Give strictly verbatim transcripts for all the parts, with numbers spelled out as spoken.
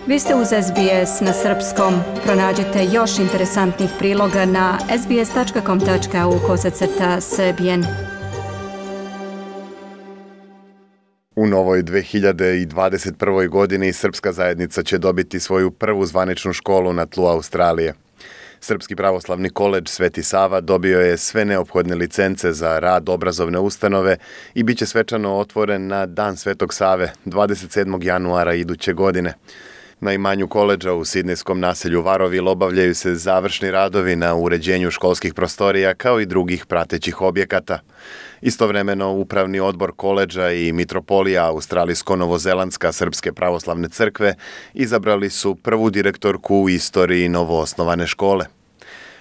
Vi ste uz S B S na srpskom. Pronađite još interesantnih priloga na sbs tačka com tačka au kosacrta srbijen. U novoj dve hiljade dvadeset prvoj. godini srpska zajednica će dobiti svoju prvu zvaničnu školu na tlu Australije. Srpski pravoslavni koledž Sveti Sava dobio je sve neophodne licence za rad obrazovne ustanove i bit će svečano otvoren na Dan Svetog Save, dvadeset sedmog januara iduće godine. Na imanju koledža u sidnejskom naselju Varovil obavljaju se završni radovi na uređenju školskih prostorija kao i drugih pratećih objekata. Istovremeno, Upravni odbor koledža i Mitropolija Australijsko-Novozelandska Srpske pravoslavne crkve izabrali su prvu direktorku u istoriji novoosnovane škole.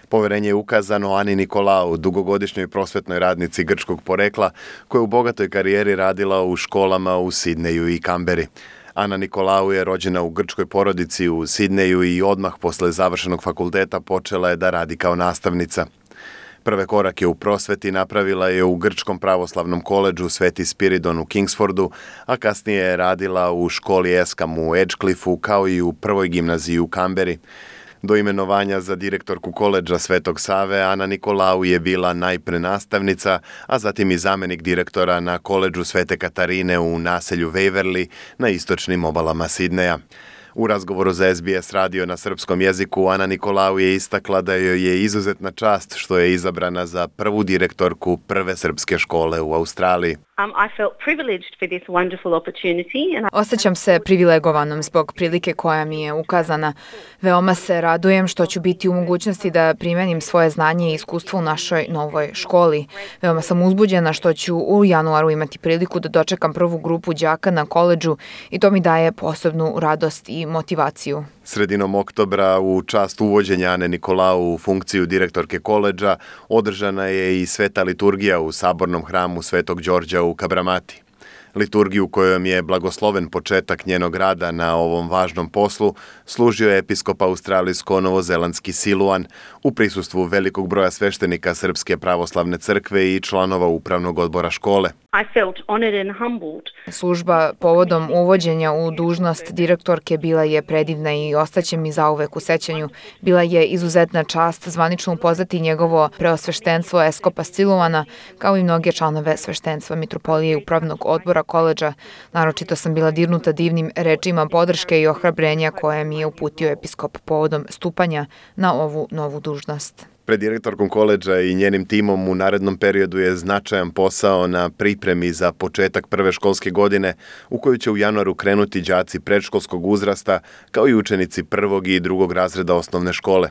Poverenje je ukazano Ani Nikolau, dugogodišnjoj prosvetnoj radnici grčkog porekla, koja je u bogatoj karijeri radila u školama u Sidneju i Kamberi. Ana Nikolau je rođena u grčkoj porodici u Sidneju i odmah posle završenog fakulteta počela je da radi kao nastavnica. Prve korake u prosveti napravila je u grčkom pravoslavnom koledžu Sveti Spiridon u Kingsfordu, a kasnije je radila u školi Eskam u Edgecliffu kao i u prvoj gimnaziji u Kamberi. Do imenovanja za direktorku koledža Svetog Save, Ana Nikolau je bila najpre nastavnica, a zatim i zamenik direktora na koledžu Svete Katarine u naselju Waverley na istočnim obalama Sidneja. U razgovoru za S B S radio na srpskom jeziku, Ana Nikolau je istakla da joj je izuzetna čast što je izabrana za prvu direktorku prve srpske škole u Australiji. Um, I felt privileged for this wonderful opportunity. And I... Osjećam se privilegovanom zbog prilike koja mi je ukazana. Veoma se radujem što ću biti u mogućnosti da primenim svoje znanje i iskustvo u našoj novoj školi. Veoma sam uzbuđena što ću u januaru imati priliku da dočekam prvu grupu đaka na koledžu i to mi daje posebnu radost i motivaciju. Sredinom oktobra, u čast uvođenja Ane Nikolau u funkciju direktorke koledža, održana je i sveta liturgija u sabornom hramu Svetog Đorđa u Kabramati. Liturgiju kojom je blagosloven početak njenog rada na ovom važnom poslu služio je episkop australijsko-novozelandski Siluan u prisustvu velikog broja sveštenika Srpske pravoslavne crkve i članova upravnog odbora škole. I felt honored and humbled. Služba povodom uvođenja u dužnost direktorke bila je predivna i ostaće mi zauvek u sećanju. Bila je izuzetna čast zvanično upoznati njegovo preosveštenstvo eskopa Siluana, kao i mnoge članove sveštenstva Mitropolije i upravnog odbora koledža. Naročito sam bila dirnuta divnim rečima podrške i ohrabrenja koje mi je uputio episkop povodom stupanja na ovu novu dužnost. Pred direktorkom koledža i njenim timom u narednom periodu je značajan posao na pripremi za početak prve školske godine u koju će u januaru krenuti đaci predškolskog uzrasta kao i učenici prvog i drugog razreda osnovne škole.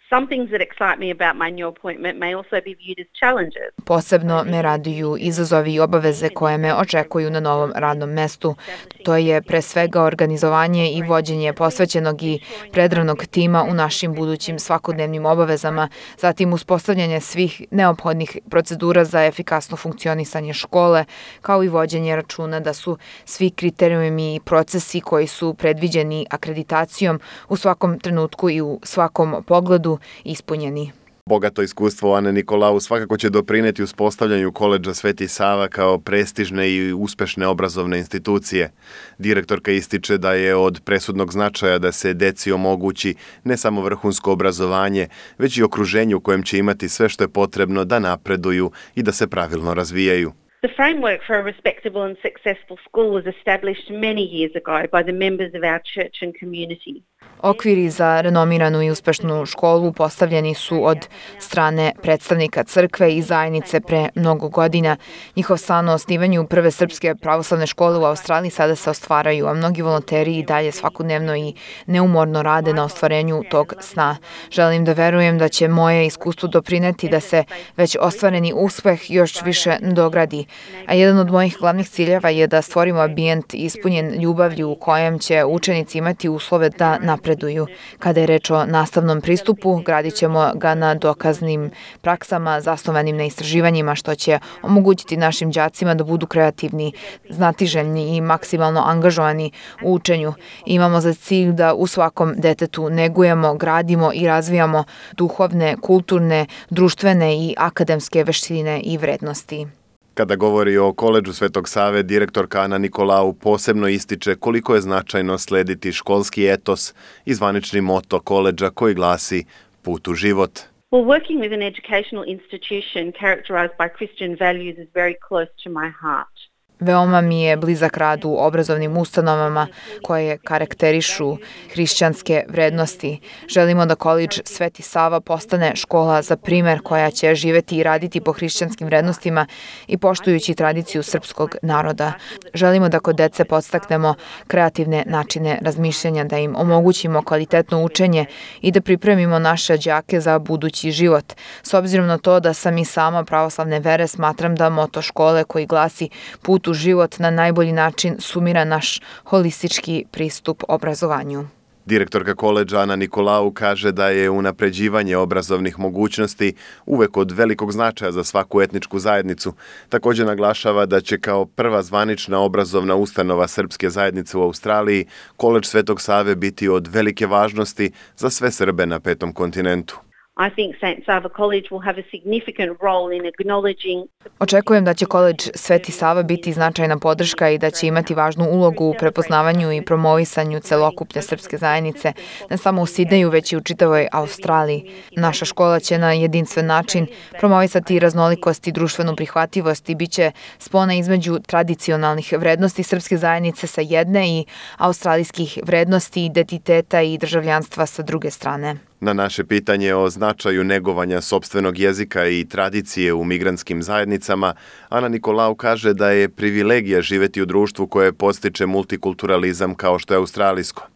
Some things that excite me about my new appointment may also be viewed as challenges. Posebno me raduju izazovi i obaveze koje me očekuju na novom radnom mestu. To je pre svega organizovanje i vođenje posvećenog i predranog tima u našim budućim svakodnevnim obavezama, zatim uspostavljanje svih neophodnih procedura za efikasno funkcionisanje škole, kao i vođenje računa da su svi kriterijumi i procesi koji su predviđeni akreditacijom u svakom trenutku i u svakom pogledu ispunjeni. Bogato iskustvo Ane Nikolau svakako će doprineti uspostavljanju koledža Sveti Sava kao prestižne i uspešne obrazovne institucije. Direktorka ističe da je od presudnog značaja da se deci omogući ne samo vrhunsko obrazovanje, već i okruženje u kojem će imati sve što je potrebno da napreduju i da se pravilno razvijaju. The framework for a respectable and successful school was established many years ago by the members of our church and community. Okviri za renomiranu i uspešnu školu postavljeni su od strane predstavnika crkve i zajednice pre mnogo godina. Njihov san o osnivanju prve srpske pravoslavne škole u Australiji sada se ostvaraju, a mnogi volonteri i dalje svakodnevno i neumorno rade na ostvarenju tog sna. Želim da verujem da će moje iskustvo doprineti da se već ostvareni uspeh još više dogradi. A jedan od mojih glavnih ciljeva je da stvorimo ambijent ispunjen ljubavlju u kojem će učenici imati uslove da napreduju. Kada je reč o nastavnom pristupu, gradit ćemo ga na dokaznim praksama zasnovanim na istraživanjima, što će omogućiti našim đacima da budu kreativni, znatiželjni i maksimalno angažovani u učenju. Imamo za cilj da u svakom detetu negujemo, gradimo i razvijamo duhovne, kulturne, društvene i akademske veštine i vrednosti. Kada govori o koledžu Svetog Save, direktorka Ana Nikolau posebno ističe koliko je značajno slediti školski etos i zvanični moto koledža koji glasi Put u život. Well, working with an educational institution characterized by Christian values is very close to my heart. Veoma mi je blizak rad u obrazovnim ustanovama koje karakterišu hrišćanske vrednosti. Želimo da koledž Sveti Sava postane škola za primer koja će živeti i raditi po hrišćanskim vrednostima i poštujući tradiciju srpskog naroda. Želimo da kod dece podstaknemo kreativne načine razmišljanja, da im omogućimo kvalitetno učenje i da pripremimo naše đake za budući život. S obzirom na to da sam i sama pravoslavne vere, smatram da moto škole koji glasi Put u život na najbolji način sumira naš holistički pristup obrazovanju. Direktorka koledža Ana Nikolau kaže da je unapređivanje obrazovnih mogućnosti uvek od velikog značaja za svaku etničku zajednicu. Također naglašava da će kao prva zvanična obrazovna ustanova srpske zajednice u Australiji koledž Svetog Save biti od velike važnosti za sve Srbe na petom kontinentu. I think Saint Sava College will have a significant role in acknowledging. Očekujem da će koledž Sveti Sava biti značajna podrška i da će imati važnu ulogu u prepoznavanju i promovisanju celokupne srpske zajednice, ne samo u Sidneju, već i u čitavoj Australiji. Naša škola će na jedinstven način promovisati raznolikost i društvenu prihvatljivost i bit će spona između tradicionalnih vrednosti srpske zajednice sa jedne i australijskih vrednosti, identiteta i državljanstva sa druge strane. Na naše pitanje o značaju negovanja sopstvenog jezika i tradicije u migrantskim zajednicama, Ana Nikolau kaže da je privilegija živeti u društvu koje podstiče multikulturalizam kao što je australijsko.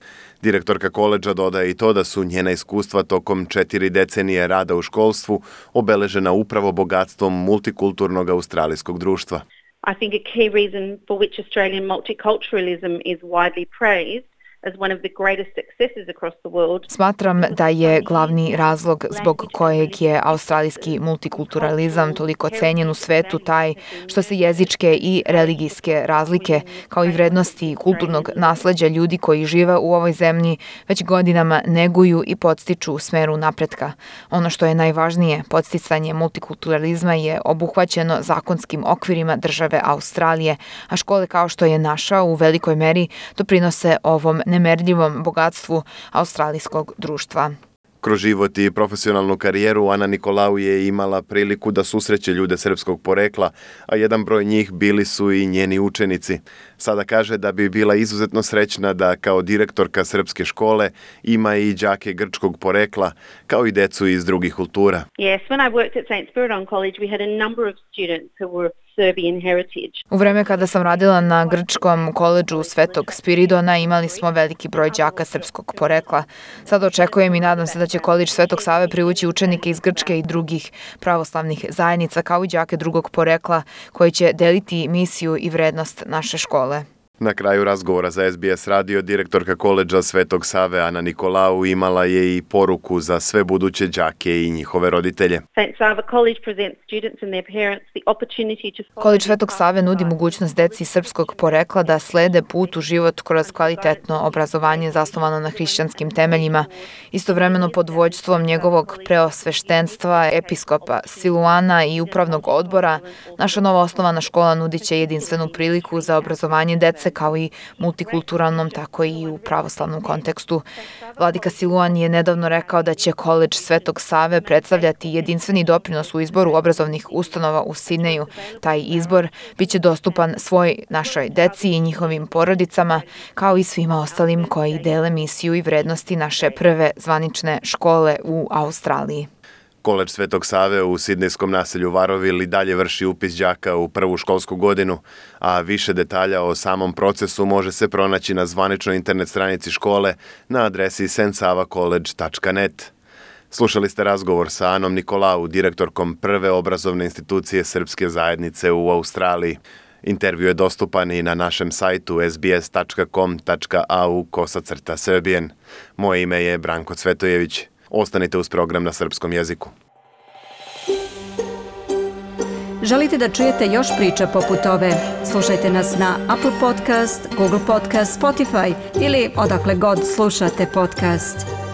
Direktorka koledža dodaje i to da su njena iskustva tokom četiri decenije rada u školstvu obeležena upravo bogatstvom multikulturnog australijskog društva. I think a key reason for which Australian multiculturalism is widely praised as one of the greatest successes across the world. Smatram da je glavni razlog zbog kojeg je australijski multikulturalizam toliko cenjen u svetu taj što se jezičke i religijske razlike, kao i vrednosti kulturnog nasleđa ljudi koji žive u ovoj zemlji, već godinama neguju i podstiču u smeru napretka. Ono što je najvažnije, podsticanje multikulturalizma je obuhvaćeno zakonskim okvirima države Australije, a škole kao što je naša u velikoj meri doprinose ovom nemerljivom bogatstvu australijskog društva. Kroz život i profesionalnu karijeru Ana Nikolau je imala priliku da susreće ljude srpskog porekla, a jedan broj njih bili su i njeni učenici. Sada kaže da bi bila izuzetno srećna da kao direktorka srpske škole ima i đake grčkog porekla, kao i decu iz drugih kultura. Yes, when I worked at Saint Spiridon College, we had a number of students who were Serbian heritage. U vreme kada sam radila na grčkom koledžu Svetog Spiridona imali smo veliki broj đaka srpskog porekla. Sada očekujem i nadam se da će koledž Svetog Save privući učenike iz Grčke i drugih pravoslavnih zajednica kao i đake drugog porekla koji će deliti misiju i vrednost naše škole. Na kraju razgovora za S B S radio direktorka koledža Svetog Save Ana Nikolau imala je i poruku za sve buduće đake i njihove roditelje. Saint Sava College presents students and their parents the opportunity to Koledž Svetog Save nudi mogućnost deci srpskog porekla da slede put u život kroz kvalitetno obrazovanje zasnovano na hrišćanskim temeljima. Istovremeno pod vođstvom njegovog preosveštenstva, episkopa Siluana i upravnog odbora, naša nova osnovana škola nudit će jedinstvenu priliku za obrazovanje dece kao i multikulturalnom, tako i u pravoslavnom kontekstu. Vladika Siluan je nedavno rekao da će koledž Svetog Save predstavljati jedinstveni doprinos u izboru obrazovnih ustanova u Sidneju. Taj izbor biće dostupan svoj našoj deci i njihovim porodicama, kao i svima ostalim koji dele misiju i vrednosti naše prve zvanične škole u Australiji. Koledž Svetog Save u sidnejskom naselju Varoville i dalje vrši upis đaka u prvu školsku godinu, a više detalja o samom procesu može se pronaći na zvaničnoj internet stranici škole na adresi st sava college tačka net. Slušali ste razgovor sa Anom Nikolau, direktorkom prve obrazovne institucije srpske zajednice u Australiji. Intervju je dostupan i na našem sajtu s b s tačka com tačka a u kosacrta Serbian. Moje ime je Branko Cvetojević. Ostanite uz program na srpskom jeziku. Želite da čujete još priča poput ove? Slušajte nas na Apple Podcast, Google Podcast, Spotify ili odakle god slušate podcast.